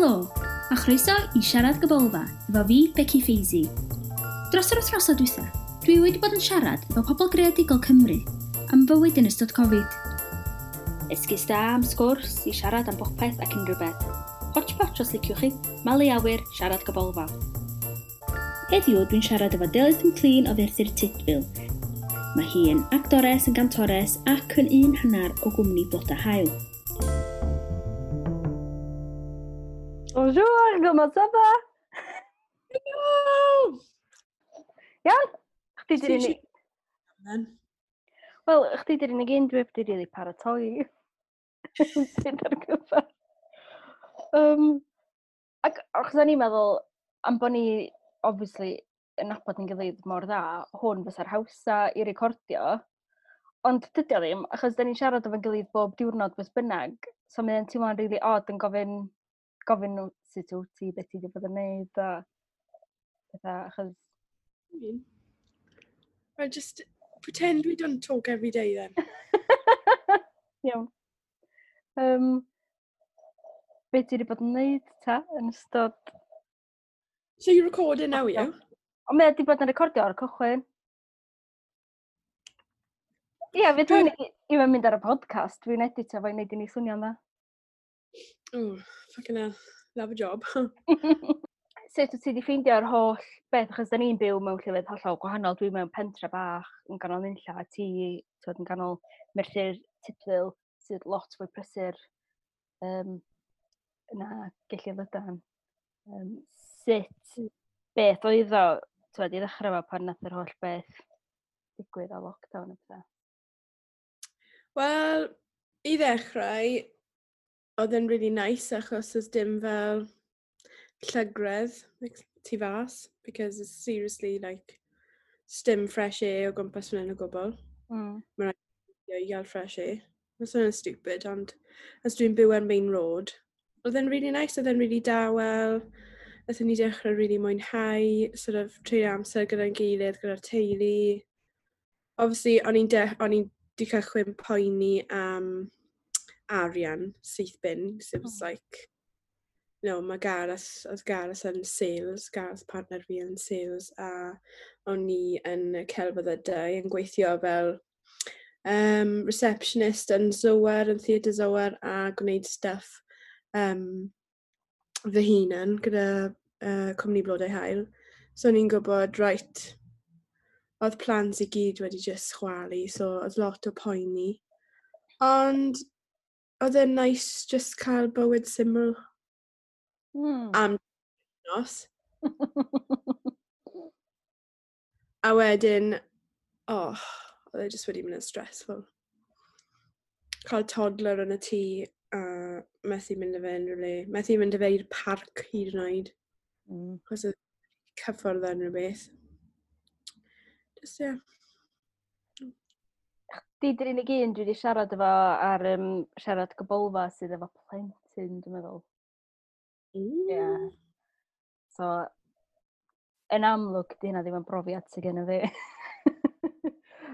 Helo, a chroeso i Siarad Gybolfa efo fi, Becky Feisey. Dros yr wythnosau dwytha, dwi wedi bod yn siarad efo pobl greadigol Cymru am fywyd yn ystod Covid. Esgus da am sgwrs i siarad am bopeth ac unrhyw beth. Hotchpotch os liciwch chi, malu awyr, siarad gybolfa. Heddiw dwi'n siarad efo Delyth McLean o Ferthyr Tudful. Mae hi yn actores, yn gantores ac yn un hanner o gwmni Bloda Haul. Bonjour, comment ça va? Hello! Iawn? Chdi di'r unig... Wel, chdi di'r unig un dwi heb di rili paratoi. Sydd ar gyfer. Ac achos o'n i'n meddwl, am bod ni, obviously, yn nabod yn gilydd mor dda, hwn fysa'r hawsa i recordio. Ond dydy o ddim, achos da ni'n siarad efo'n gilydd bob diwrnod beth bynnag. So mae'n teimlo'n really odd yn gofyn nhw sut wyt ti, beth ti wedi bod yn neud, a pethau, achos... Well, just pretend we don't talk every day then. Iawn. Be ti wedi bod yn neud ta yn ystod... So you're recording now, are you? Ond mae wedi bod yn recordio ar y cychwyn. Ie, fydd hwn i fe'n mynd ar y podcast. Dwi'n editio fo'i wneud i ni swnio'n dda. Oh, fucking hell. Love a job. Sut wyt ti wedi ffeindio'r holl beth? Achos da ni'n byw mewn llefydd hollol gwahanol. Dwi mewn pentre bach yn ganol nunlla, a ti twod, yn ganol Merthyr Tudful, sydd lot fwy prysur na Gelli Lydan. Sut beth oedd o, twod, i ddechrau fo pan nath yr holl beth digwydd o lockdown a pethau? Wel, i ddechrau, oedd e'n really nice achos oedd dim fel llygredd like, tu fas, because it's seriously like dim fresh air o gwmpas fan hyn o gwbl. Mae'n rhaid i gael fresh air. Mae'n swnio'n stupid, ond as dwi'n byw ar main road, oedd e'n really nice, oedd e'n really dawel. Nathon ni dechrau really mwynhau, sort of treulio amser gyda'n gilydd, gyda'r teulu. Obviously, o'n i'n o'n i'n di cychwyn poeni am arian syth bin, so it was like, you know, mae Gareth, oedd Gareth yn sales, Gareth partner fi yn sales, a o'n i yn y celfyddydau yn gweithio fel receptionist yn Zoar, yn Theatr Zoar, a gwneud stuff fy hunan gyda cwmni Blodau Haul. So o'n i'n gwybod, right, oedd plans i gyd wedi just chwalu, so oedd lot o poeni. Ond oedd e'n nice just cael bywyd syml am nos. A wedyn, oh, oedd e just wedi mynd yn stressful. Cael toddler yn y tŷ a methu mynd â fe unrhyw le. Methu mynd â fe i'r parc hyd yn oed. Achos oedd cyffordd unrhyw beth. Just, yeah. Chdi di'r unig un dwi wedi siarad efo ar Siarad Gybolfa sydd efo plentyn, dwi'n meddwl. Yeah. So, yn amlwg, di hynna ddim yn brofiad sydd gen i fi.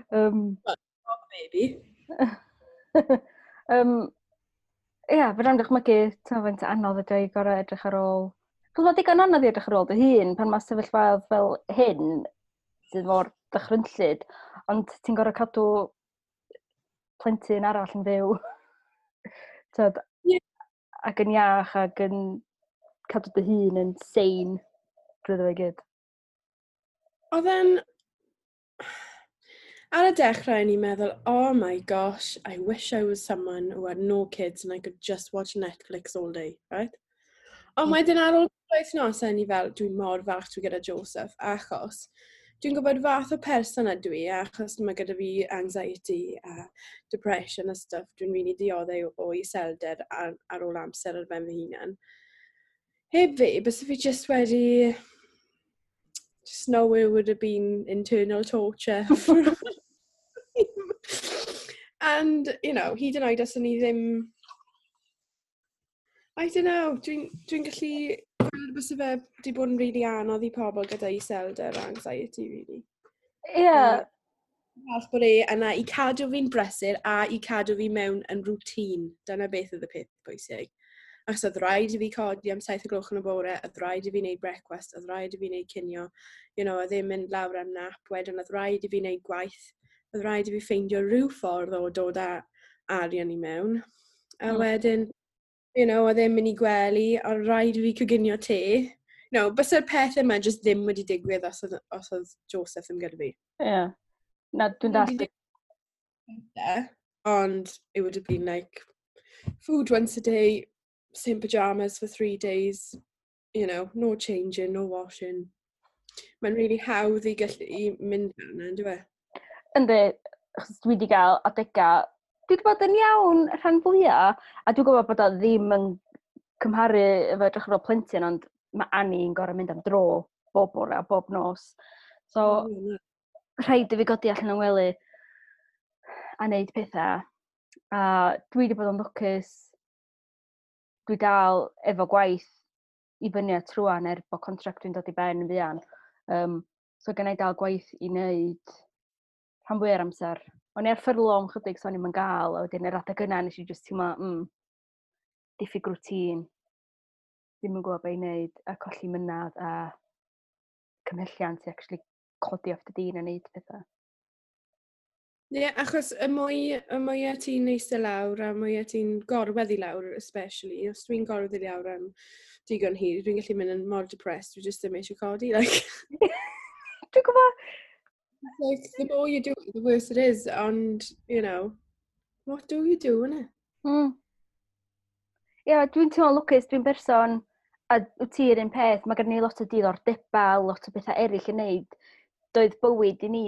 Well, maybe. Ie, fe rhaid dychmygu, ti'n faint anodd ydy i gorau edrych ar ôl. Chos mae digon anodd i edrych ar ôl dy hun pan mae sefyllfaoedd fel hyn sydd mor dychrynllyd, ond ti'n gorau cadw plentyn arall yn fyw. Tyd, ac yn iach ac yn cadw dy hun yn sane drwy fe gyd. Oedd e'n... Ar y dechrau, o'n i'n meddwl, oh my gosh, I wish I was someone who had no kids and I could just watch Netflix all day, right? Ond wedyn ar ôl wythnos, o'n i fel, dwi'n mor falch dwi gyda Joseph, achos dwi'n gwybod fath o person ydw i, achos mae gyda fi anxiety a depression a stuff, dwi'n really dioddef o iselder ar ôl amser ar ben fy hunan. Heb fi, byse fi just wedi... Just know it would have been internal torture. And, you know, hyd yn oed os o'n i ddim... I don't know, dwi'n gallu gweld byse fe wedi bod yn really anodd i pobl gyda iselder a anxiety, really. Falch bod e yna i cadw fi'n brysur a i cadw fi mewn yn routine. Dyna beth oedd y peth pwysig. Achos oedd rhaid i fi codi am 7 o gloch yn y bore, oedd rhaid i fi wneud brecwast, oedd rhaid i fi wneud cinio, oedd ddim mynd lawr am nap, wedyn oedd rhaid i fi wneud gwaith, oedd rhaid i fi ffeindio rhyw ffordd o dod â arian i mewn. A wedyn, oedd e'n mynd i gwely, a rhaid i fi coginio te. Bysa'r pethau yma jyst ddim wedi digwydd os oedd Joseph ddim gyda fi. Ie. Yeah. Na, dwi'n dallt. Ond it would have been like food once a day, same pyjamas for 3 days, no changing, no washing. Mae'n really hawdd i gallu i mynd fel yna, ynddo fe? Yndi, achos dwi wedi gael adega, dwi wedi bod yn iawn rhan fwyaf, a dwi'n gwybod bod o ddim yn cymharu efo edrych ar ôl plentyn, ond mae Annie'n gorau mynd am dro bob bore a bob nos. So, rhaid i fi godi allan o'n wely a wneud pethau. A dwi wedi bod yn lwcus, dwi dal efo gwaith i fyny at rwan er bod contract dwi'n dod i ben yn fuan. So gen i dal gwaith i wneud rhan fwy o'r amser. O'n i ar ffyrlo am chydig, so o'n i'm yn gael, a wedyn yr adeg yna nes i just teimlo, diffyg routine, ddim yn gwybod beth i wneud, a colli mynadd a cymhelliant i actually codi off dy din a wneud pethau. Ie, yeah, achos y mwy ti'n eistedd lawr a mwy ti'n gorwedd i lawr, especially, os dwi'n gorwedd i lawr am digon hir, dwi'n gallu mynd yn mor depressed, dwi just ddim eisiau codi. Like, Dwi'n gwybod. Like, the more you do it, the worse it is, and, what do you do, innit? Ie, yeah, dwi'n teimlo lwcus, dwi'n berson, a wyt ti'r un peth, mae gen i lot o diddordebau, lot o bethau eraill i wneud. Doedd bywyd i ni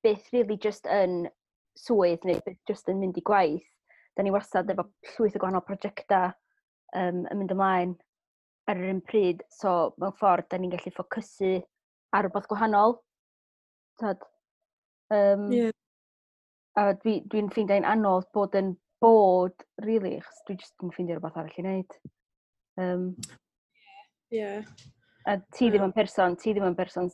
byth really just yn swydd neu byth just yn mynd i gwaith. Da ni wastad efo llwyth o gwahanol prosiectau yn mynd ymlaen ar yr un pryd, so mewn ffordd da ni'n gallu ffocysu ar rhywbeth gwahanol. Tod, A dwi'n ffeindio hi'n anodd bod yn bod, really, achos dwi jyst yn ffeindio rhywbeth arall i wneud. A ti ddim yn person, ti ddim yn person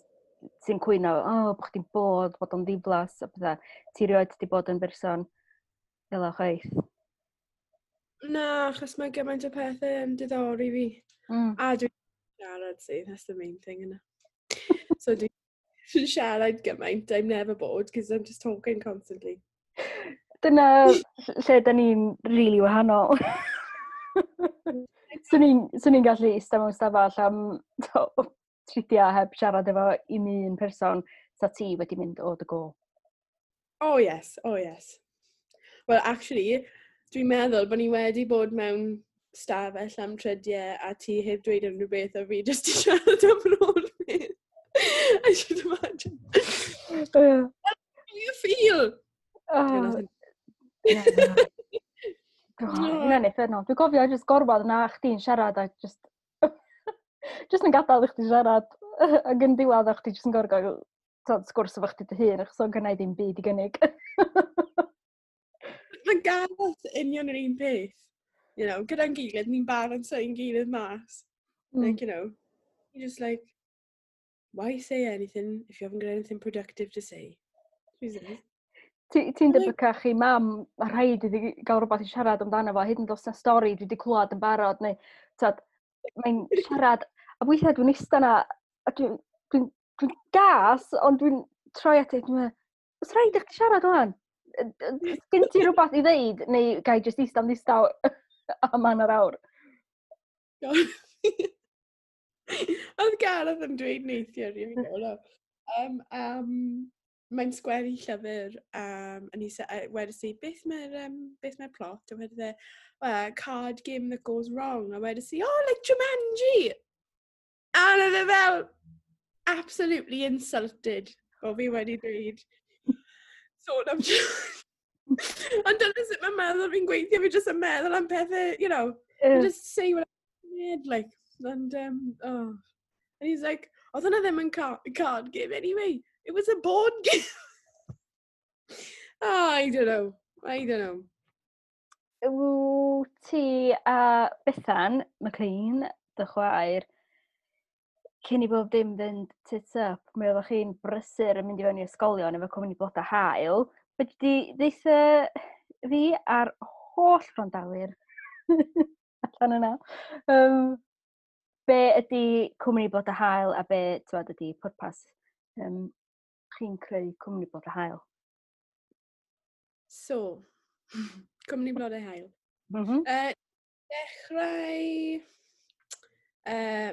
sy'n cwyno, "Oh, bod chdi'n bod, bod o'n ddiflas," a pethau. Ti rioed di bod yn berson fel o chwaith. Na, achos mae gymaint o pethau yn diddori fi. A dwi'n siarad, see, that's the main thing, yna. So dwi'n siarad gymaint, I'm never bored, because I'm just talking constantly. Dyna lle da ni'n really wahanol. Swn i'n gallu eistedd mewn stafell am tridiau heb siarad efo un un person, sa ti wedi mynd o dy go. Oh yes, oh yes. Well, actually, dwi'n meddwl bod ni wedi bod mewn stafell am tridiau a ti heb dweud unrhyw beth a fi jyst i siarad am yr holl beth. I should imagine. How you feel? Oh, yeah. Hynna'n uffernol. Dwi'n cofio jyst gorfod yna chdi'n siarad a just yn gadael i chdi siarad ac yn diwedd a chdi just yn gorfod gael sgwrs efo chdi dy hun achos o'n gynna i ddim byd i gynnig. Mae Gareth union yr un peth. Gyda'n gilydd, ni'n balance ein gilydd mas. Like, you just like, "Why say anything if you haven't got anything productive to say?" Jesus. Ti'n debycach i Mam, mae rhaid iddi gael rhywbeth i siarad amdano fo, hyd yn oed os na stori dwi wedi clywed yn barod, neu, tad, mae'n siarad, a weithiau dwi'n eistedd yna, a dwi gas, ond dwi'n troi at dwi'n meddwl, "Oes rhaid i chdi siarad wan? Gen ti rhywbeth i ddeud, neu gai jyst eistedd am ddistaw am hanner awr?" Oedd Gareth yn dweud neithiwr i fi gael. Mae'n sgwennu llyfr, a ni wedys i, "Beth mae'r plot?" A wedodd e, "Well, card game that goes wrong." A wedys i, "Oh, like Jumanji!" A oedd e fel, absolutely insulted o fi wedi dweud sôn am Jumanji. Ond dyna sut mae'n meddwl fi'n gweithio, fi jyst yn meddwl am pethau, just say what I made, like, and, oh. And he's like, "Oedd hwnna ddim yn card game anyway. It was a board game." Oh, I don't know. I don't know. Wyt ti a Bethan McLean, dy chwaer, cyn i bob dim fynd tits up, mi oeddech chi'n brysur yn mynd i fewn i ysgolion efo Cwmni Bloda Haul. Fedri di ddeutha fi a'r holl wrandawyr allan yna. Be ydy Cwmni Blodau Haul a be, twod, ydy pwrpas chi'n creu Cwmni Blodau Haul? So, Cwmni Blodau Haul. Dechrau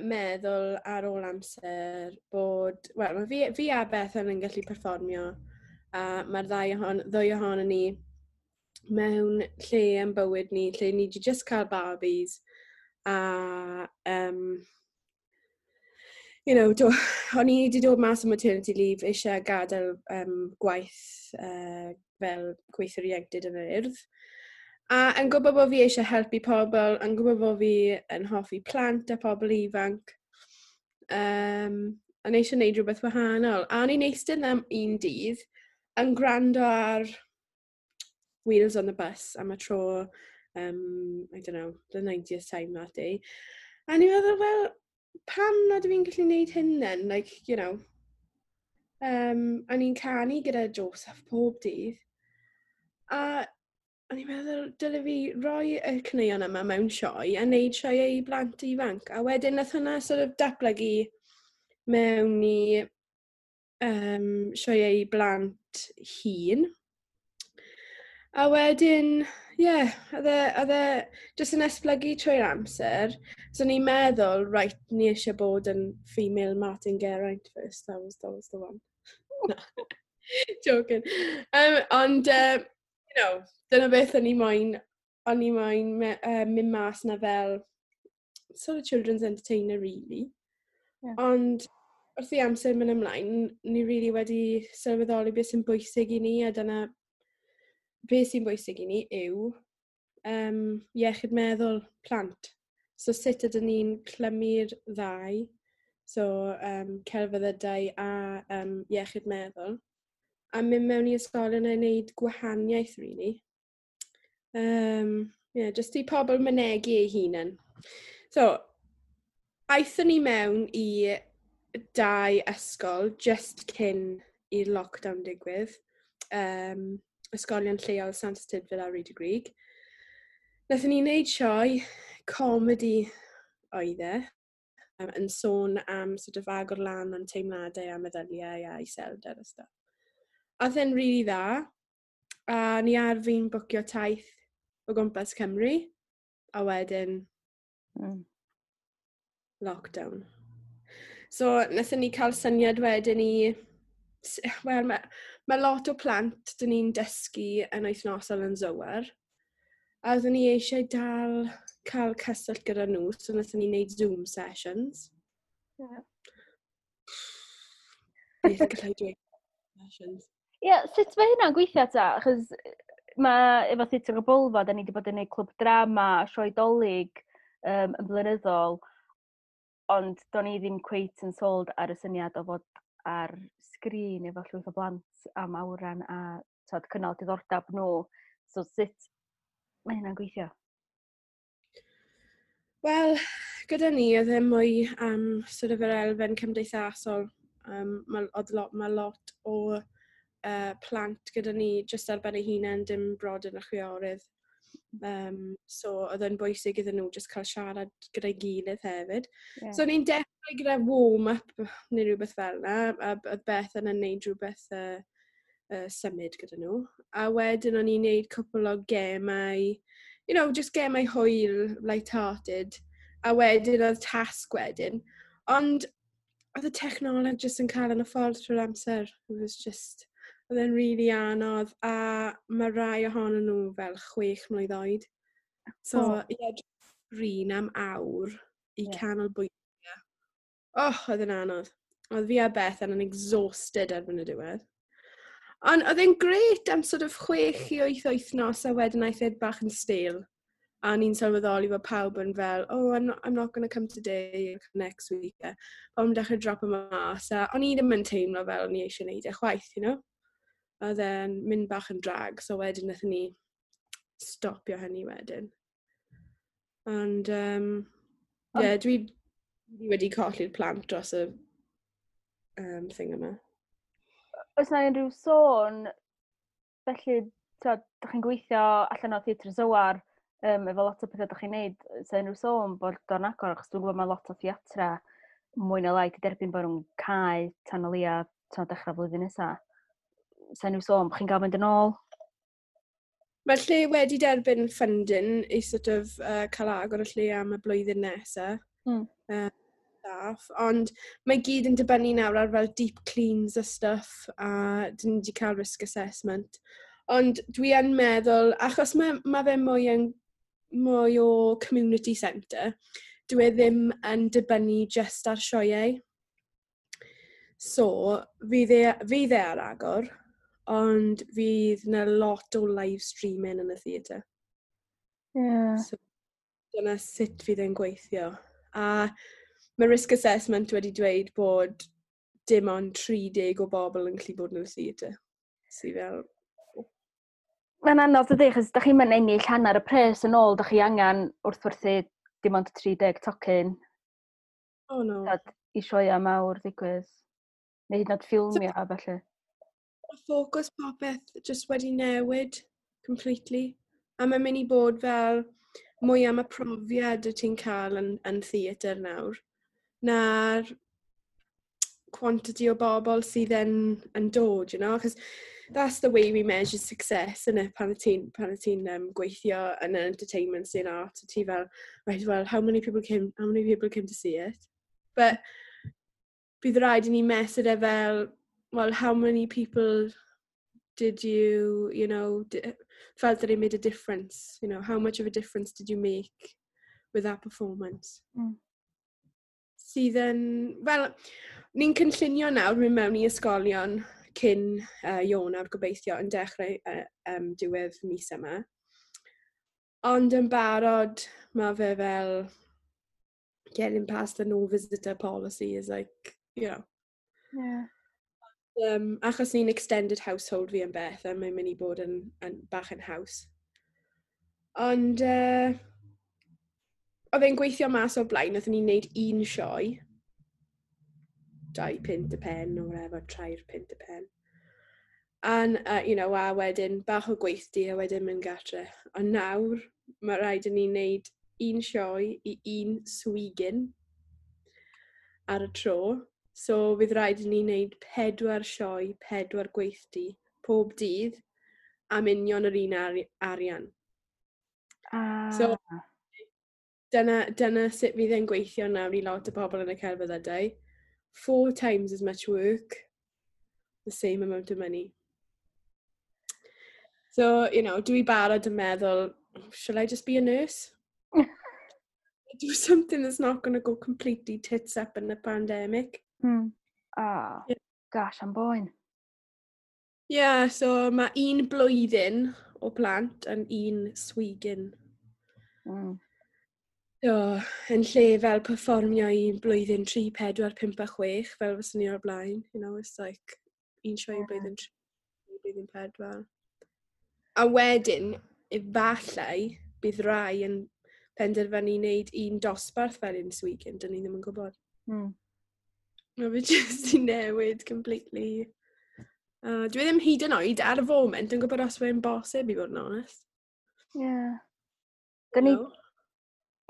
meddwl ar ôl amser bod... Wel, mae fi a Bethan yn gallu perfformio a mae'r ddwy ohonon ni mewn lle yn bywyd ni, lle ni wedi just cael babis a o'n i wedi dod mas o maternity leave, eisiau gadael gwaith fel gweithiwr ieuenctid yn yr Urdd. A yn gwybod bod fi eisiau helpu pobl, yn gwybod bod fi yn hoffi plant a pobl ifanc, yn eisiau gwneud rhywbeth wahanol. A o'n i'n eistedd am un dydd yn gwrando ar Wheels on the Bus am y tro, I don't know, the 90th time that day. A ni'n meddwl, wel, pam nad ydw i'n gallu gwneud hyn then? Like. A ni'n canu gyda Joseph pob dydd. A o'n i'n meddwl, dyle fi roi y caneuon yma mewn sioe a wneud sioe i blant ifanc. A wedyn nath hwnna sort of datblygu mewn i sioe i blant hŷn. A wedyn, ie, yeah, oedd e jyst yn esblygu trwy'r amser. So ni'n meddwl, right, ni eisiau bod yn female Martin Geraint first. That was the one. No. Joking. Ond dyna beth o'n i moyn mynd mas na fel sort of children's entertainer, really. Ond wrth i amser mynd ymlaen, ni really wedi sylweddoli beth sy'n bwysig i ni, a dyna beth sy'n bwysig i ni yw iechyd meddwl plant. So sut ydyn ni'n clymu'r ddau, so celfyddydau a iechyd meddwl, a mynd mewn i ysgolion a wneud gwahaniaeth, really. Yeah, just i pobl mynegu eu hunain. So, aethon ni mewn i dau ysgol just cyn i'r lockdown digwydd. Ysgolion lleol Santes Tudful a Rhyd y Grug. Nathon ni wneud sioe, comedy oedd e, yn sôn am sort of agor lan am teimladau a meddyliau a iselder a stuff. A oedd e'n really dda, a ni ar fin bwcio taith o gwmpas Cymru, a wedyn lockdown. So, wnaethon ni cael syniad wedyn i... Wel, mae lot o plant dyn ni'n dysgu yn wythnosol yn Zoar. A oeddwn ni eisiau dal cael cyswllt gyda nhw, so wnaethon ni wneud Zoom sessions. Beth gallai dweud? Sessions. Ie, yeah, sut mae hynna'n gweithio ta? Achos mae efo Theatr y Bwlfa, da ni wedi bod yn gwneud clwb drama, sioe Dolig yn blynyddol, ond do'n i ddim cweit yn sold ar y syniad o fod ar sgrin efo llwyth o blant am awran a, tod, cynnal diddordeb nhw. So sut mae hynna'n gweithio? Wel, gyda ni oedd e mwy am sort of yr elfen cymdeithasol. Mae lot o plant gyda ni jyst ar ben eu hunain, dim brodyr na chwiorydd. So oedd e'n bwysig iddyn nhw jyst cael siarad gyda'i gilydd hefyd. So ni'n dechrau gyda warm-up neu rhywbeth fel yna, a oedd Bethan yn neud rhywbeth symud gyda nhw. A wedyn o'n i'n neud cwpl o gemau, just gemau hwyl, light-hearted. A wedyn oedd tasg wedyn. Ond oedd y technoleg jyst yn cael yn y ffordd trwy'r amser. It was just, oedd e'n really anodd. A mae rai ohonyn nhw fel 6 mlwydd oed. So, ie, yeah, sgrin am awr i canolbwyntio. Oh, oedd e'n anodd. Oedd fi a Bethan yn exhausted erbyn y diwedd. Ond oedd e'n grêt am sort of 6 i 8 wythnos a wedyn aeth e bach yn stale. A ni'n sylweddoli bod pawb yn fel, "Oh, I'm not going to come today, I'll come next week." A pawb yn dechrau drop mas. A o'n i ddim yn teimlo fel o'n i eisiau gwneud e chwaith. Oedd e'n mynd bach yn drag, so wedyn wnaethon ni stopio hynny wedyn. Ond, yeah, dwi wedi colli'r plant dros y thing yma. Oes na unrhyw sôn, felly, tod, dych chi'n gweithio allan o Theatr Zoar. Efo lot o pethau ydych chi'n neud, sa unrhyw sôn bod o'n agor, achos dwi'n gwybod mae lot o theatra mwy na lai 'di derbyn bod nhw'n cau tan o leia tan dechrau flwyddyn nesaf. Sa unrhyw sôn bod chi'n cael mynd yn ôl? Mae'r lle wedi derbyn funding i sort of cael agor y lle am y blwyddyn nesaf. Staff, ond mae gyd yn dibynnu nawr ar fel deep cleans a stuff, a dyn ni wedi cael risk assessment. Ond dwi yn meddwl, achos mae fe mwy o community centre, dwi e ddim yn dibynnu just ar sioeau. So, fydd e ar agor, ond fydd yna lot o live streaming yn y theatr. So, dyna sut fydd e'n gweithio. A mae risk assessment wedi dweud bod dim ond 30 o bobl yn gallu bod yn y theatr. Sydd fel. Mae'n anodd dydy, achos da chi'n mynd ennill hanner y pres yn ôl, da chi angen wrth werthu dim ond 30 tocyn. Oh no. Tad, i sioia mawr ddigwydd. Neu hyd yn oed ffilmio a felly. Mae ffocws popeth just wedi newid completely. A mae'n mynd i bod fel mwy am y profiad y ti'n cael yn theatr nawr na'r quantity o bobl sydd yn dod. Because that's the way we measure success, isn't it? Pan y ti'n gweithio yn an entertainment scene art, ti fel, "Right, well, how many people came, how many people came to see it?" But bydd rhaid i ni mesur e fel, well, how many people did you, you know, felt that it made a difference? How much of a difference did you make with that performance? Sydd yn, wel, ni'n cynllunio nawr mynd mewn i ysgolion cyn Ionawr gobeithio yn dechrau diwedd mis yma. Ond yn barod, mae fe fel getting past the no visitor policy is like. Achos ni'n extended household fi yn beth, a mae'n mynd i bod yn bach yn haws. Ond oedd e'n gweithio mas o'r blaen, oedden ni'n neud un sioe. £2 y pen, or whatever, £3 y pen. And, a wedyn bach o gweithdy a wedyn mynd gatre. Ond nawr, mae rhaid i ni wneud un sioe i un swigyn ar y tro. So, fydd rhaid i ni wneud pedwar sioe, pedwar gweithdy, pob dydd, am union yr un arian. So, dyna sut fydd e'n gweithio nawr i lot o bobl yn y celfyddydau. Four times as much work, the same amount of money. So, dwi barod yn meddwl, shall I just be a nurse? Do something that's not going to go completely tits up in the pandemic. Ah, gosh, am boen. Yeah, so mae un blwyddyn o plant yn un swigyn. So, yn lle fel perfformio i blwyddyn 3, 4, 5 a 6, fel fyswn ni o'r blaen. It's like un sioe blwyddyn 3, blwyddyn 4. A wedyn, efallai, bydd rai yn penderfynu wneud un dosbarth fel un swigyn, dyn ni ddim yn gwybod. Mae fe jyst i newid completely. Dwi ddim hyd yn oed ar y foment yn gwybod os mae'n bosib i fod yn honest. Yeah. Dyn ni,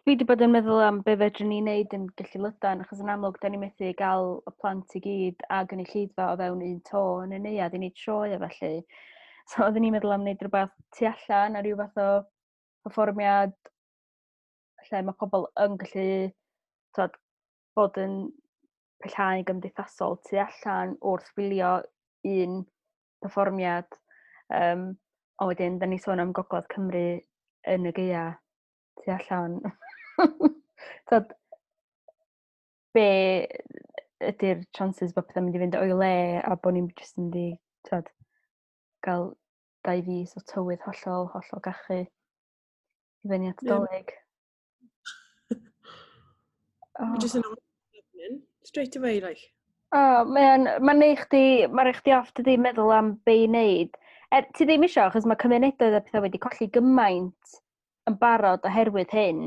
dwi wedi bod yn meddwl am be fedrwn ni wneud yn Gelli Lydan, achos yn amlwg, da ni methu gael y plant i gyd a gynulleidfa o fewn un to yn y neuadd i wneud sioe a felly. So oedden ni'n meddwl am wneud rhywbeth tu allan a rhyw fath o perfformiad lle mae pobl yn gallu, t'od, bod yn pellhau gymdeithasol tu allan wrth wylio un perfformiad. Ond wedyn, da ni sôn am Gogledd Cymru yn y gaea tu allan. T'od, be ydy'r chances bod pethau'n mynd i fynd o'i le a bod ni'n jyst yn mynd i, t'od, gael 2 fis o tywydd hollol, hollol gachu i fyny at Dolig. Oh. Just yn straight away, like. Oh, mae'n ma neu chdi, mae'n rhoi chdi off dydi meddwl am be i wneud. Er, ti ddim isio, achos mae cymunedau a pethau wedi colli gymaint yn barod oherwydd hyn.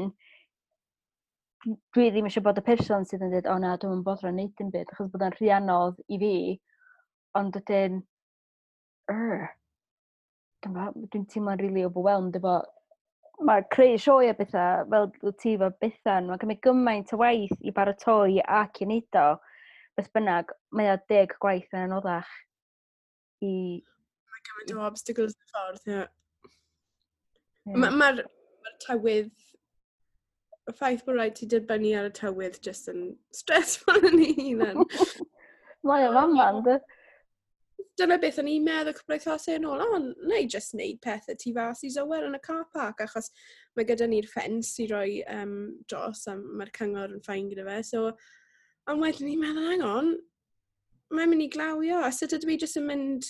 Dwi ddim eisiau bod y person sydd yn dweud, "O na, dwi'n bothro wneud dim byd," achos bod o'n rhy anodd i fi. Ond wedyn, dwi'n teimlo'n really overwhelmed efo Mae creu sioe a bethau, fel wyt ti efo Bethan, mae'n cymryd gymaint o waith i baratoi ac i wneud o. Beth bynnag, mae o 10 gwaith yn anoddach i. Mae gymaint o obstacles yn y ffordd, ie. Mae'r ma tywydd, y ffaith bod rhaid ti dibynnu ar y tywydd just yn stressful yn ei hunan. Mae o fama, ynddi? Dyna beth o'n i'n meddwl cwpl o wythnosau yn ôl, o, na i just wneud pethau tu fas i Zower yn y car park, achos mae gyda ni'r ffens i roi dros, a mae'r cyngor yn fine gyda fe. So, ond wedyn ni'n meddwl, hang on, mae'n mynd i glawio, a sut ydw i jyst yn mynd,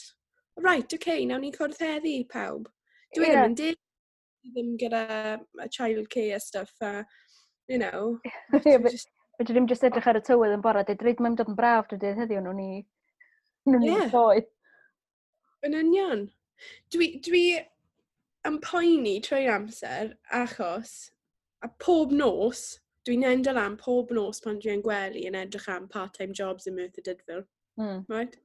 right, okay, nawn ni cwrdd heddi, pawb. Dwi ddim yn deg, ddim gyda childcare stuff, a. Ie, fedri ddim jyst edrych ar y tywydd yn bora, dweud, reit, mae'n dod yn braf dydw heddiw, nhw'n ni sioe. Yn union. Dwi yn poeni trwy'r amser achos, a pob nos, dwi'n endo lan pob nos pan dwi'n gwely yn edrych am part-time jobs yn Merthyr Tydfil. Right?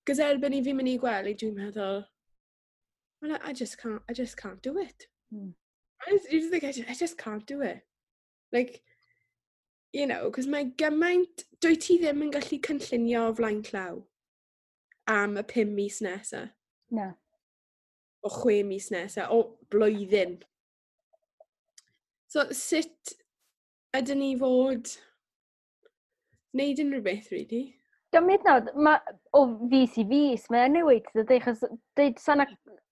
Cos erbyn i fi mynd i gwely, dwi'n meddwl, well, I just can't do it. You just think, I just can't do it. Like, cos mae gymaint, dwi ti ddim yn gallu cynllunio o flaen llaw am y 5 mis nesaf. Na. O 6 mis nesaf, o blwyddyn. So, sut ydyn ni fod wneud unrhyw beth, really? Diolch hyd yn ma, o fis i fis, mae'n newid, dydy, achos dweud sa 'na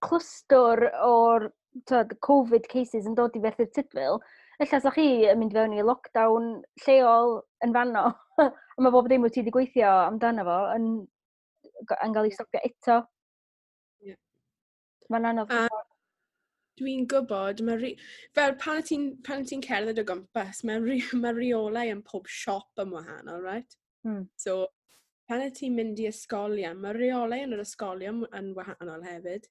clwstwr o'r, tyd, Covid cases yn dod i Ferthyr Tydfil, ella sa chi yn mynd fewn i lockdown lleol yn fanno, a mae bob dim wyt ti wedi gweithio amdano fo yn cael ei stopio eto. Mae'n anodd. A dwi'n gwybod, fel pan ti'n cerdded o gwmpas, mae reolau yn pob siop yn wahanol, right? So, pan ti'n mynd i ysgolion, mae reolau yn yr ysgolion yn wahanol hefyd.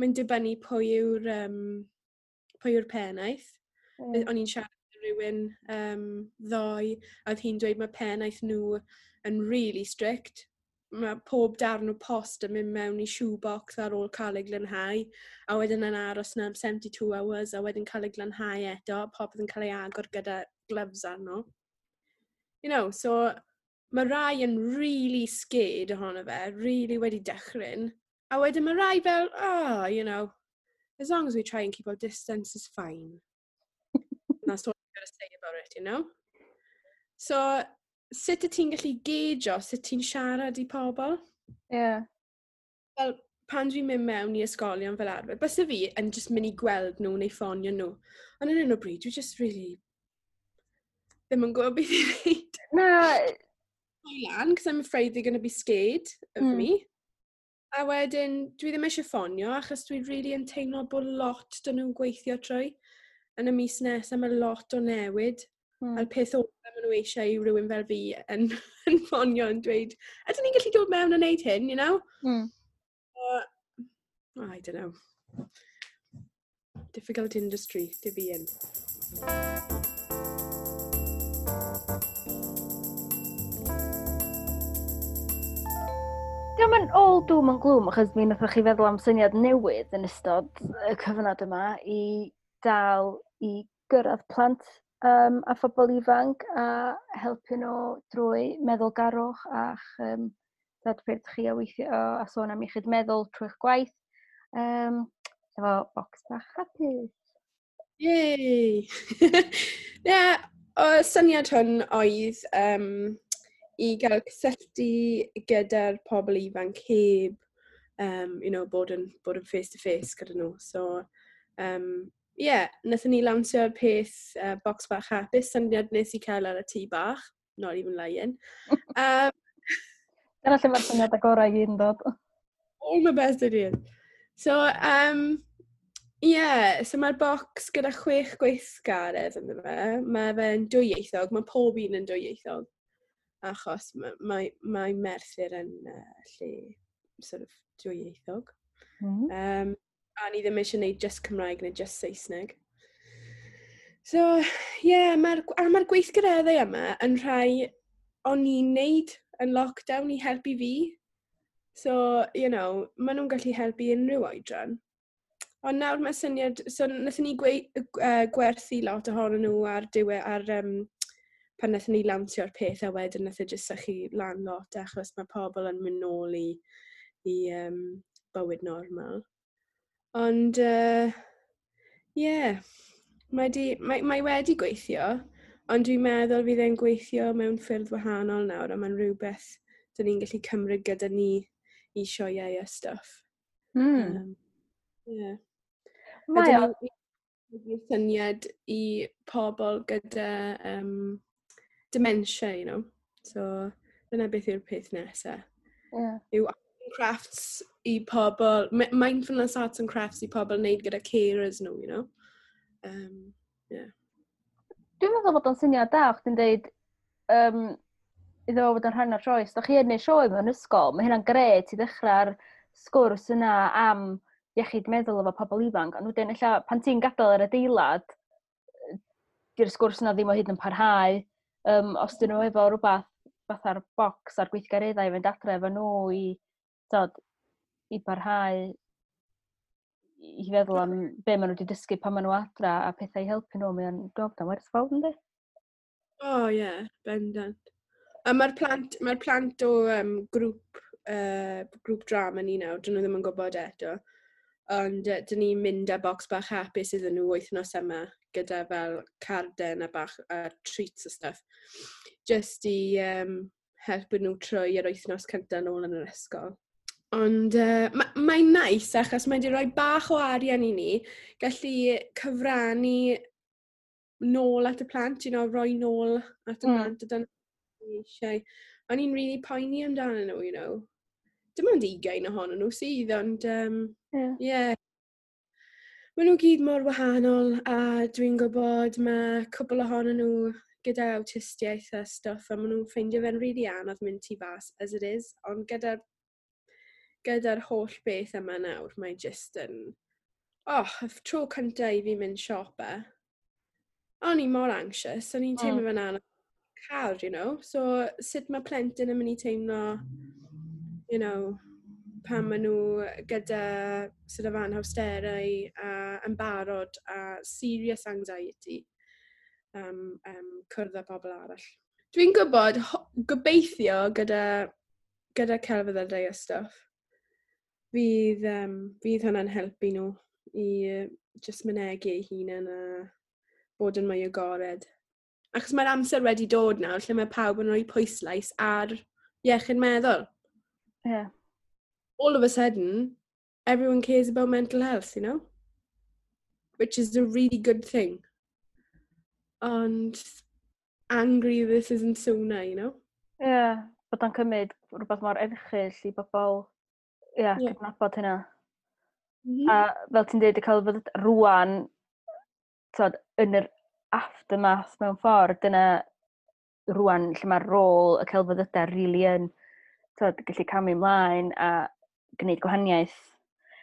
Mae'n dibynnu pwy yw'r pennaeth. O'n i'n siarad â rhywun ddoe, a oedd hi'n dweud mae pennaeth nhw yn really strict. Mae pob darn o post yn mynd mewn i shoebox ar ôl cael ei glanhau, a wedyn yn aros na am 72 hours, a wedyn cael ei glanhau eto, popeth yn cael ei agor gyda gloves arno. So mae rai yn really scared ohono fe, really wedi dychryn, a wedyn mae rai fel, oh, as long as we try and keep our distance, is fine. That's all I've got to say about it. So, sut y ti'n gallu geidio, sut ti'n siarad i pobl? Fel, pan dwi'n mynd mewn i ysgolion fel arfer, byse fi yn just mynd i gweld nhw neu ffonio nhw. Ond yn hyn o bryd, dwi just really ddim yn gwybod beth i wneud. Na. Lan, because I'm afraid they're going to be scared of me. A wedyn, dwi ddim eisiau ffonio, achos dwi really yn teimlo bod lot dyn nhw'n gweithio trwy. Yn y mis nesaf, mae lot o newid. A'r peth ola maen nhw eisiau i rhywun fel fi yn ffonio yn dweud, ydyn ni'n gallu dod mewn a wneud hyn? I don't know. Difficult industry to be in. Diolch yn all doom and gloom, achos mi wnaethoch chi feddwl am syniad newydd yn ystod y cyfnod yma i dal i gyrraedd plant a phobl ifanc a helpu nhw drwy meddylgarwch a'ch ddadffyrdd chi a weithio a sôn am iechyd meddwl trwy'ch gwaith. Efo bocs bach hapus. Yay! Yeah, o syniad hwn oedd i gael cysylltu gyda'r pobl ifanc heb bod yn face-to-face gyda nhw. So, yeah, wnaethon ni lawnsio'r peth box bach hapus, syniad nes i cael ar y tŷ bach, not even lying. Dyna lle mae'r syniad agorau i gyd yn dod. All my best ideas. So, yeah, so mae'r box gyda chwech gweithgaredd ynddo fe. Mae fe'n dwyieithog, mae pob un yn dwyieithog. Achos mae Merthyr yn lle sort of dwyieithog. A ni ddim eisiau gwneud just Cymraeg neu just Saesneg. So, yeah, mae gweithgareddau yma yn rhai o'n i'n neud yn lockdown i helpu fi. So, maen nhw'n gallu helpu unrhyw oedran. Ond nawr mae syniad, so wnaethon ni gwerthu lot ohonyn nhw ar diwe, ar, pan wnaethon ni lansio'r peth a wedyn wnaeth e jyst sychu lan lot achos mae pobl yn mynd nôl i bywyd normal. Ond, yeah, mae wedi gweithio, ond dwi'n meddwl fydd e'n gweithio mewn ffyrdd wahanol nawr a mae'n rhywbeth dyn ni'n gallu cymryd gyda ni i sioeau a stuff. Yeah. Mae o, syniad i pobl gyda dementia. So, dyna beth yw'r peth nesaf. Yw arts and crafts i pobl, mindfulness arts and crafts i pobl wneud gyda carers nhw. Yeah. Dwi'n meddwl bod o'n syniad da, chdi'n deud iddo fo fod yn rhan o'r sioe. Os da chi yn neud sioe mewn ysgol, mae hynna'n gret i ddechrau'r sgwrs yna am iechyd meddwl efo pobl ifanc. Ond wedyn, ella, pan ti'n gadael yr adeilad, di'r sgwrs yna ddim o hyd yn parhau. Os dyn nhw efo rhywbeth fatha'r bocs a'r gweithgareddau i fynd adre efo nhw i, tod, i barhau i feddwl am be maen nhw wedi dysgu pan maen nhw adra a pethau i helpu nhw, mae'n dwi'n meddwl bod o'n werthfawr, yndi? Oh, yeah, bendant. A mae'r plant o grŵp drama ni nawr, dyn nhw ddim yn gwybod eto. Ond dyn ni'n mynd â bocs bach hapus iddyn nhw wythnos yma gyda fel carden a bach a treats a stuff. Just i helpu nhw trwy yr wythnos cyntaf nôl yn yr ysgol. Ond mae'n nice achos mae wedi rhoi bach o arian i ni gallu cyfrannu nôl at y plant, rhoi nôl at y plant a dyna ni eisiau. O'n i'n really poeni amdano nhw. Dim ond 20 ohonyn nhw sydd, ond yeah. Maen nhw gyd mor wahanol a dwi'n gwybod mae cwpl ohonyn nhw gyda awtistiaeth a stuff a maen nhw'n ffeindio fe'n really anodd mynd tu fas as it is, ond gyda'r holl beth yma nawr, mae jyst yn... Oh, y tro cyntaf i fi mynd siopa, o'n i mor anxious, o'n i'n teimlo fe'n anodd cael. So, sut mae plentyn yn mynd i teimlo pan maen nhw gyda sort of anhawsterau a yn barod a serious anxiety cwrdd â pobl arall. Dwi'n gwybod, gobeithio gyda celfyddydau a stuff, fydd hwnna'n helpu nhw i just mynegi eu hunain a bod yn mwy agored. Achos mae'r amser wedi dod nawr lle mae pawb yn rhoi pwyslais ar iechyd meddwl. All of a sudden, everyone cares about mental health. Which is a really good thing. Ond angry this isn't sooner. Ie, yeah, bod o'n cymryd rhywbeth mor erchyll i bobl, ie, yeah, cydnabod hynna. A fel ti'n dweud, y celfyddyd rwan, tod, yn yr aftermath mewn ffordd, dyna rwan lle mae'r rôl y celfyddydau really yn, tod, gallu camu ymlaen a gwneud gwahaniaeth.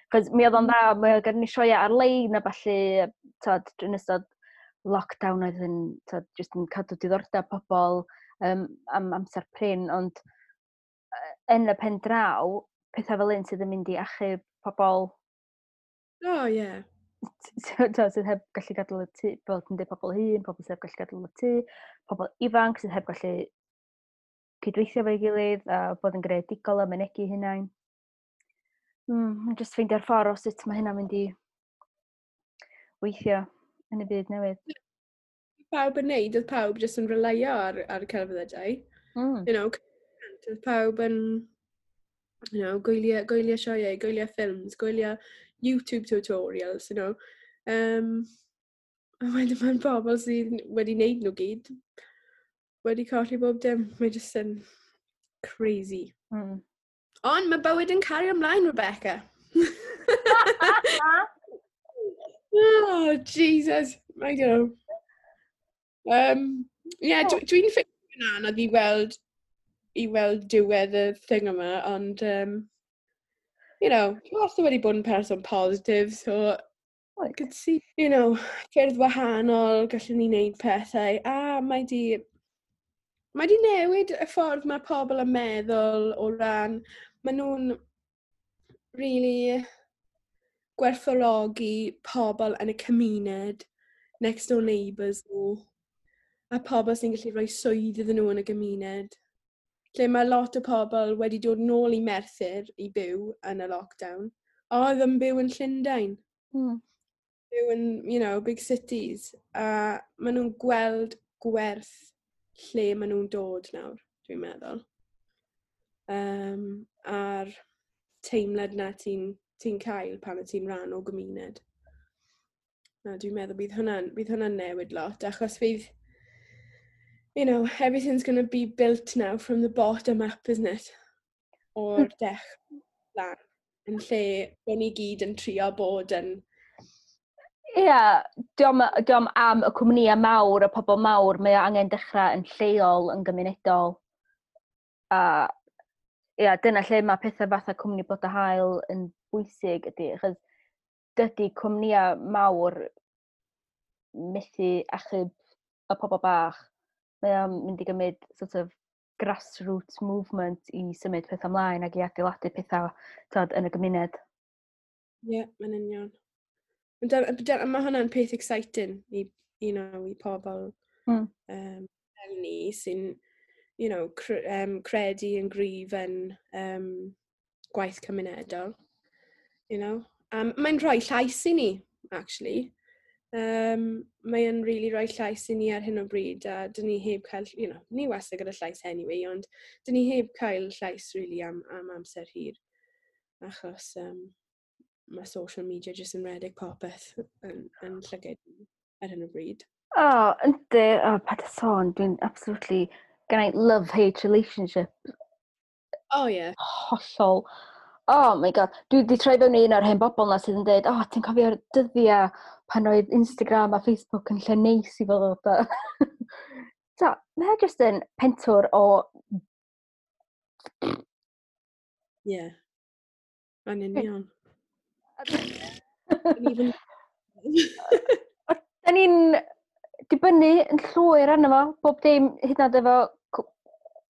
Cos mi oedd o'n dda, mi oedd gen ni sioeau ar-lein a ballu, tod, yn ystod lockdown oedd yn, tod, jyst yn cadw diddordeb pobl am amser prin, ond yn y pen draw, pethau fel un sydd yn mynd i achub pobl Oh, yeah. Tod, sydd heb gallu gadael y tŷ, fel ti'n dweud, pobl hŷn, pobl sydd heb gallu gadael y tŷ, pobl ifanc sydd heb gallu cydweithio efo'i gilydd a bod yn greadigol a mynegi hunain. Just ffeindio'r ffordd o sut mae hynna'n mynd i weithio yn y byd newydd. Pawb yn neud, oedd pawb jyst yn relyo ar y celfyddydau. Oedd pawb yn gwylio sioeau, gwylio ffilms, gwylio YouTube tutorials. A wedyn mae'n bobl sydd wedi wneud nhw gyd wedi colli bob dim. Mae jyst yn crazy. Ond mae bywyd yn cario ymlaen, Rebecca. Oh, Jesus. I don't know. Yeah, dwi'n ffeindio fe'n anodd i weld diwedd y thing yma, ond, dwi wastad wedi bod yn person positif, so I could see ffyrdd wahanol gallwn ni wneud pethau, a mae di newid y ffordd mae pobl yn meddwl o ran, maen nhw'n really Gwerthfawrogi pobl yn y cymuned, next door neighbours nhw, a pobl sy'n gallu rhoi swydd iddyn nhw yn y gymuned. Lle mae lot o pobl wedi dod nôl i Merthyr i byw yn y lockdown, a oedd yn byw yn Llundain. Byw yn big cities. A maen nhw'n gweld gwerth lle maen nhw'n dod nawr, dwi'n meddwl. A'r teimlad na ti cael pan y ti'n rhan o gymuned. Na, dwi'n meddwl bydd hwnna'n newid lot, achos fydd everything's going to be built now from the bottom up, isn't it? O'r dechrau lan. Yn lle bod ni gyd yn trio bod yn. Ie, yeah, diom am y cwmnïau mawr, y pobl mawr, mae o angen dechrau yn lleol, yn gymunedol. A ia, dyna lle mae pethau fatha Cwmni Blodau Haul yn bwysig ydy, achos dydy cwmnïau mawr methu achub y pobl bach. Mae o'n mynd i gymryd sort of grassroots movement i symud pethau ymlaen ac i adeiladu pethau, tod, yn y gymuned. Ie, yeah, mae'n union. Mae hwnna'n peth exciting i pobl fel ni sy'n credu yn gryf yn gwaith cymunedol. Mae'n rhoi llais i ni, actually. Mae'n really rhoi llais i ni ar hyn o bryd a dyn ni heb cael, ni wastad gyda llais anyway, ond dyn ni heb cael llais really am amser hir. Achos mae social media jyst yn rhedeg popeth yn llygaid ni ar hyn o bryd. O, oh, yndi, o, oh, paid â sôn, dwi'n absolutely, gen i love-hate relationship. Oh yeah. Hollol. Oh my God, dwi wedi troi fewn i un o'r hen bobl na sydd yn dweud, "Oh, ti'n cofio'r dyddiau pan oedd Instagram a Facebook yn lle neis i fod." So, mae e jyst yn pentwr o. Yeah. Mae'n union. Da ni'n dibynnu yn llwyr arno fo, bob dim, hyd yn oed efo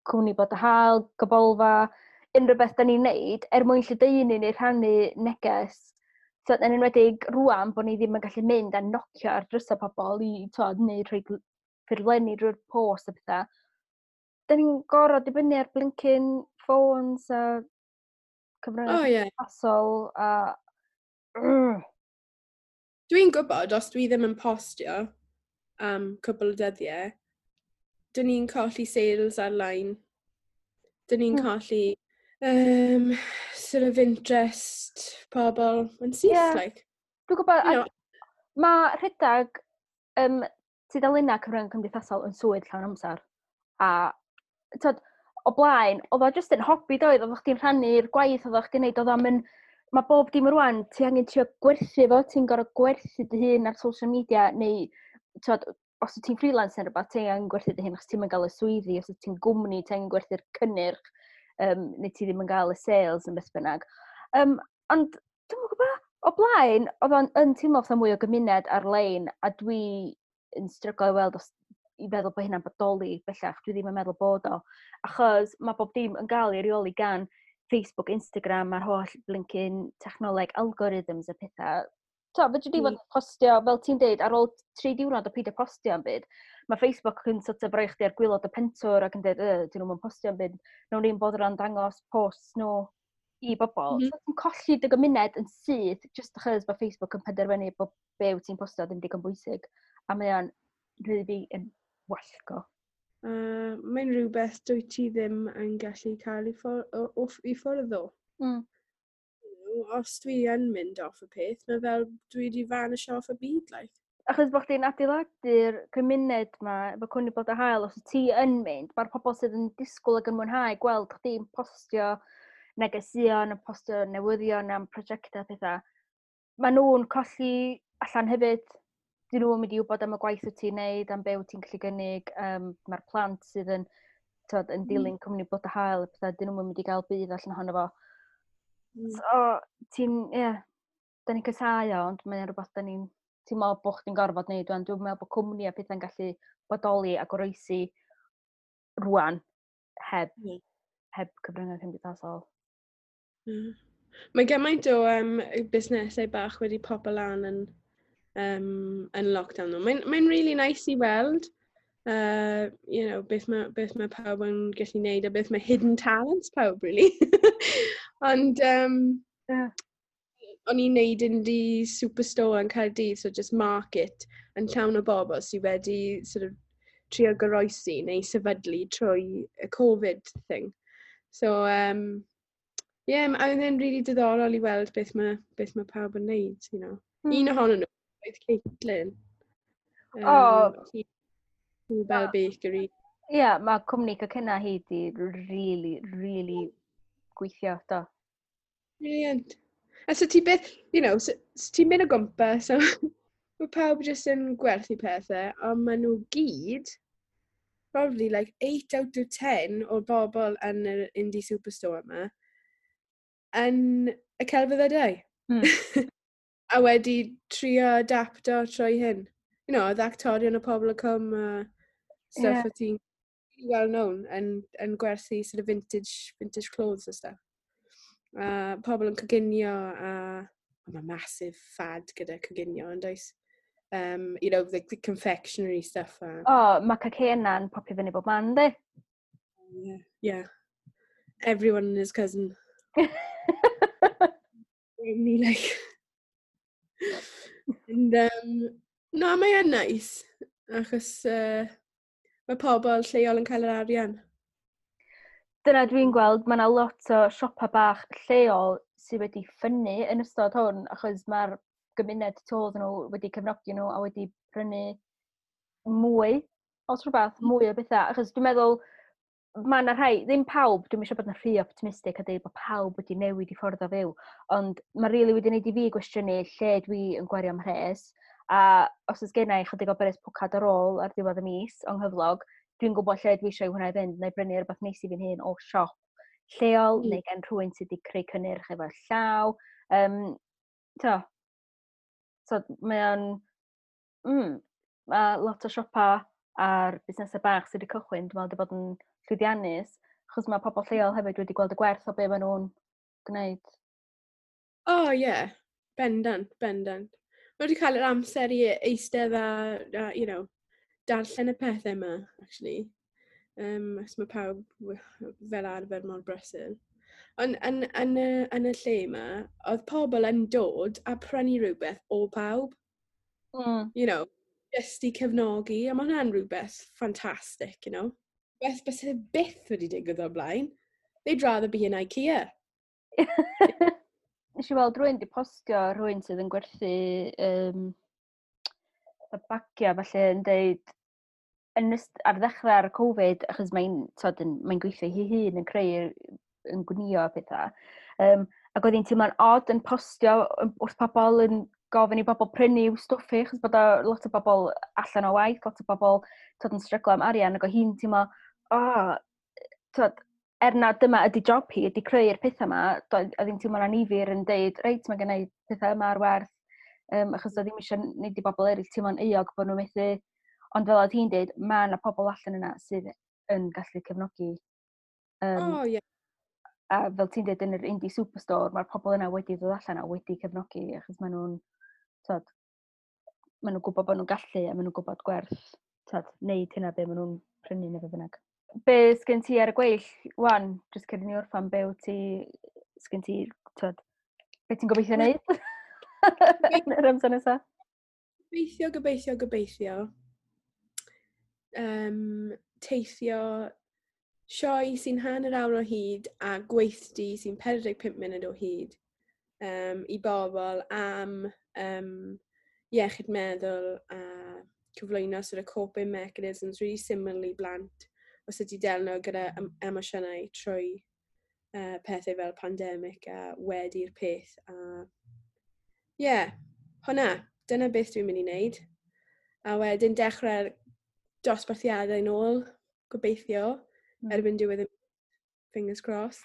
Cwmni Blodau Haul, Gabolfa, unrhyw beth da ni'n neud, er mwyn lledaenu neu rhannu neges. So, yn enwedig rwan bod ni ddim yn gallu mynd a nocio ar drysau pobl i, twod, neu rhoi ffurflenni drwy'r post a pethau. Da ni'n gorfod dibynnu ar blinking phones a cyfryngau cymdeithasol a. Dwi'n gwybod os dwi ddim yn postio am cwpl o dyddiau, dyn ni'n colli sales ar-lein. Dyn ni'n colli sort of interest pobl yn syth, like. Dwi'n gwybod, mae rhedeg tudalennau cyfryngau cymdeithasol yn swydd llawn amser. A tod, o blaen, oedd o jyst yn hobi doedd, oedd chdi'n rhannu'r gwaith oedd chdi'n neud, oedd o'n mynd, mae bob dim rwan, ti angen trio gwerthu fo, ti'n gorfod gwerthu dy hun ar social media, neu tod, os wyt ti'n freelance neu rhywbeth, ti angen gwerthu dy hun achos ti'n mynd gael y swyddi, os wyt ti'n gwmni, ti angen gwerthu'r cynnyrch, neu ti ddim yn gael y sales yn beth bynnag. Ond dwi'n gwybod, o blaen, oedd o'n yn teimlo fatha mwy o gymuned ar-lein, a dwi yn stryglo i weld os i feddwl bod hynna'n bodoli bellach, dwi ddim yn meddwl bod o. Achos mae bob dim yn gael ei reoli gan Facebook, Instagram, a'r holl blinking technoleg, algorithms a pethau. To, fedri di fod yn postio, fel ti'n deud, ar ôl 3 diwrnod o peidio postio am byd, mae Facebook yn sort of rhoi chdi ar gwaelod y pentwr ac yn dweud, "Dyn nhw'n postio am byd, nawn ni'n bod yn dangos posts nhw i bobl." So ti'n colli dy gymuned yn syth, just achos bod Facebook yn penderfynu bod be wyt ti'n postio ddim digon bwysig. A mae o'n rili fi yn wallgo. Mae'n rhywbeth dwyt ti ddim yn gallu cael i ffwrdd o. Os dwi yn mynd off y peth, mae fel dwi wedi vanish off y byd, like. Achos bod chdi'n adeiladu'r cymuned ma, efo Cwmni Blodau Haul, os wyt ti yn mynd, mae'r pobl sydd yn disgwyl ac yn mwynhau gweld chdi'n postio negeseuon, yn postio newyddion am prosiectau a pethau, maen nhw'n colli allan hefyd. Dyn nhw'n mynd i wybod am y gwaith wyt ti'n neud, am be wyt ti'n gallu gynnig. Mae'r plant sydd yn, tod, yn dilyn Cwmni Blodau Haul, a pethau, dyn nhw'n mynd i gael budd allan ohono fo. So, ti'n, ie, yeah, da ni'n casáu o, ond mae'n rhywbeth da ni'n, ti'n meddwl bod chdi'n gorfod neud rwan. Dwi'n meddwl bod cwmni a pethau'n gallu bodoli a goroesi rwan heb, heb cyfryngau cymdeithasol. Mae gymaint o busnesau bach wedi popo lan yn lockdown. Mae'n really nice i weld beth mae pawb yn gallu neud a beth mae hidden talents pawb, really. Ond o'n i'n neud indie superstore yn Caerdydd, so just market yn llawn o bobl sydd wedi sort of trio goroesi neu sefydlu trwy y Covid thing. So, yeah, a oedd e'n really diddorol i weld beth mae pawb yn neud. Un ohonyn nhw oedd Caitlin. Hi fel bakery. Ie, yeah, mae cwmni cacena hi di really, really gweithio, do. Brilliant. A so ti beth, so ti'n mynd o gwmpas, so mae pawb jyst yn gwerthu pethau, ond maen nhw gyd, probably like 8 out of 10 o'r bobl yn yr indie superstore yma, yn y celfyddydau. A wedi trio adapto trwy hyn. Oedd actorion o Pobol y Cwm a stuff o ti'n well known yn gwerthu sort of vintage clothes a stuff. A pobl yn coginio a mae massive fad gyda coginio yn does? The confectionery stuff. A, O, oh, mae cacena'n popio fyny bob man, di? Yeah. Everyone and his cousin. Me like. And, no, mae yn nice. Achos mae pobl lleol yn cael yr arian. Dyna dwi'n gweld, mae yna lot o siopa bach lleol sydd wedi ffynnu yn ystod hwn, achos mae'r gymuned tu ôl iddyn nhw wedi cefnogi nhw a wedi prynu mwy os rhywbeth, mwy o bethau. Achos dwi'n meddwl, mae yna rhai, ddim pawb, dwi'n eisiau bod yn rhy optimistic a dweud bod pawb wedi newid i ffordd o fyw, ond mae rili really wedi gwneud i fi gwestiynu lle dwi yn gwario mhres, a os oes gen i chydig o bres pwcad ar ôl ar ddiwedd y mis o'n nghyflog, dwi'n gwybod lle dwi eisiau hwnna i fynd, neu brynu rhywbeth neis i fi'n hun o siop lleol, neu gen rhywun sydd wedi creu cynnyrch efo llaw. To, so mae o'n... Mae lot o siopa a'r busnesau bach sydd wedi cychwyn, dwi'n meddwl, wedi bod yn llwyddiannus, achos mae pobl lleol hefyd wedi gweld y gwerth o be maen nhw'n gwneud. Oh, yeah. Bendant, bendant. Mae wedi cael yr amser i eistedd a darllen y pethau yma, actually. Os mae pawb fel arfer mor brysur. Ond yn y lle yma, oedd pobl yn dod a prynu rhywbeth o pawb. Just i cefnogi, a mae hwnna'n rhywbeth ffantastig. Beth bys e byth wedi digwydd o'r blaen. They'd rather be in IKEA. Nes i weld rhywun di postio rhywun sydd yn gwerthu y bagia falle yn deud ar ddechrau'r Covid, achos mae'n t'od, mae gweithio hi hun yn creu, yn gwnio a pethau. Ac oedd hi'n teimlo'n odd yn postio wrth pobl yn gofyn i bobl prynu i'w stwff hi, achos bod o lot o bobl allan o waith, lot o bobl, t'od, yn stryglo am arian, ac oedd hi'n teimlo, oh, t'od, er na dyma ydy job hi, ydy creu'r pethau yma, oedd hi'n teimlo'n annifyr yn deud, reit, mae gen i pethau yma ar werth, achos oedd ddim eisiau wneud i bobl eraill teimlo'n euog bod nhw'n methu, ond fel oedd hi'n deud, mae yna pobl allan yna sydd yn gallu cefnogi. Oh, yeah. A fel ti'n deud yn yr indie superstore, mae'r pobl yna wedi dod allan a wedi cefnogi, achos maen nhw'n, t'od, maen nhw'n gwybod bod nhw'n gallu a maen nhw'n gwybod gwerth, t'od, neud hynna be maen nhw'n prynu neu be bynnag. Be sgen ti ar y gweill, wan, jyst cyn i ni orffan, be wyt ti, sgen ti, t'od, be ti'n gobeithio wneud yn yr amser nesaf? Gobeithio, gobeithio, gobeithio. Teithio sioe sy'n hanner awr o hyd a gweithdy sy'n 45 munud o hyd i bobl am iechyd meddwl a cyflwyno sort of coping mechanisms really syml i blant o sut i delio gyda emosiynau trwy pethau fel pandemig a wedi'r peth. A yeah, hwnna, dyna beth dwi'n mynd i wneud. A wedyn dechrau'r dosbarthiadau nôl, gobeithio, erbyn diwedd y, fingers crossed.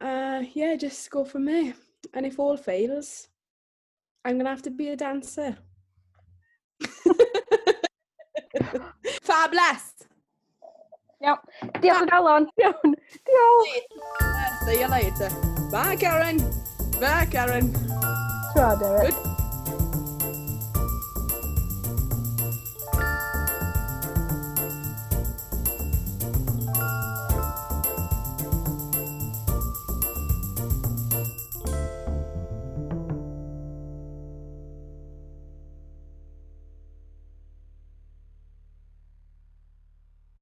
Yeah, just go from there. And if all fails, I'm going to have to be a dancer. Fabulous! Iawn. Diolch o galon. Iawn. Diolch. See you later. Bye, Karen. Bye, Karen. Ta, Derek. Good.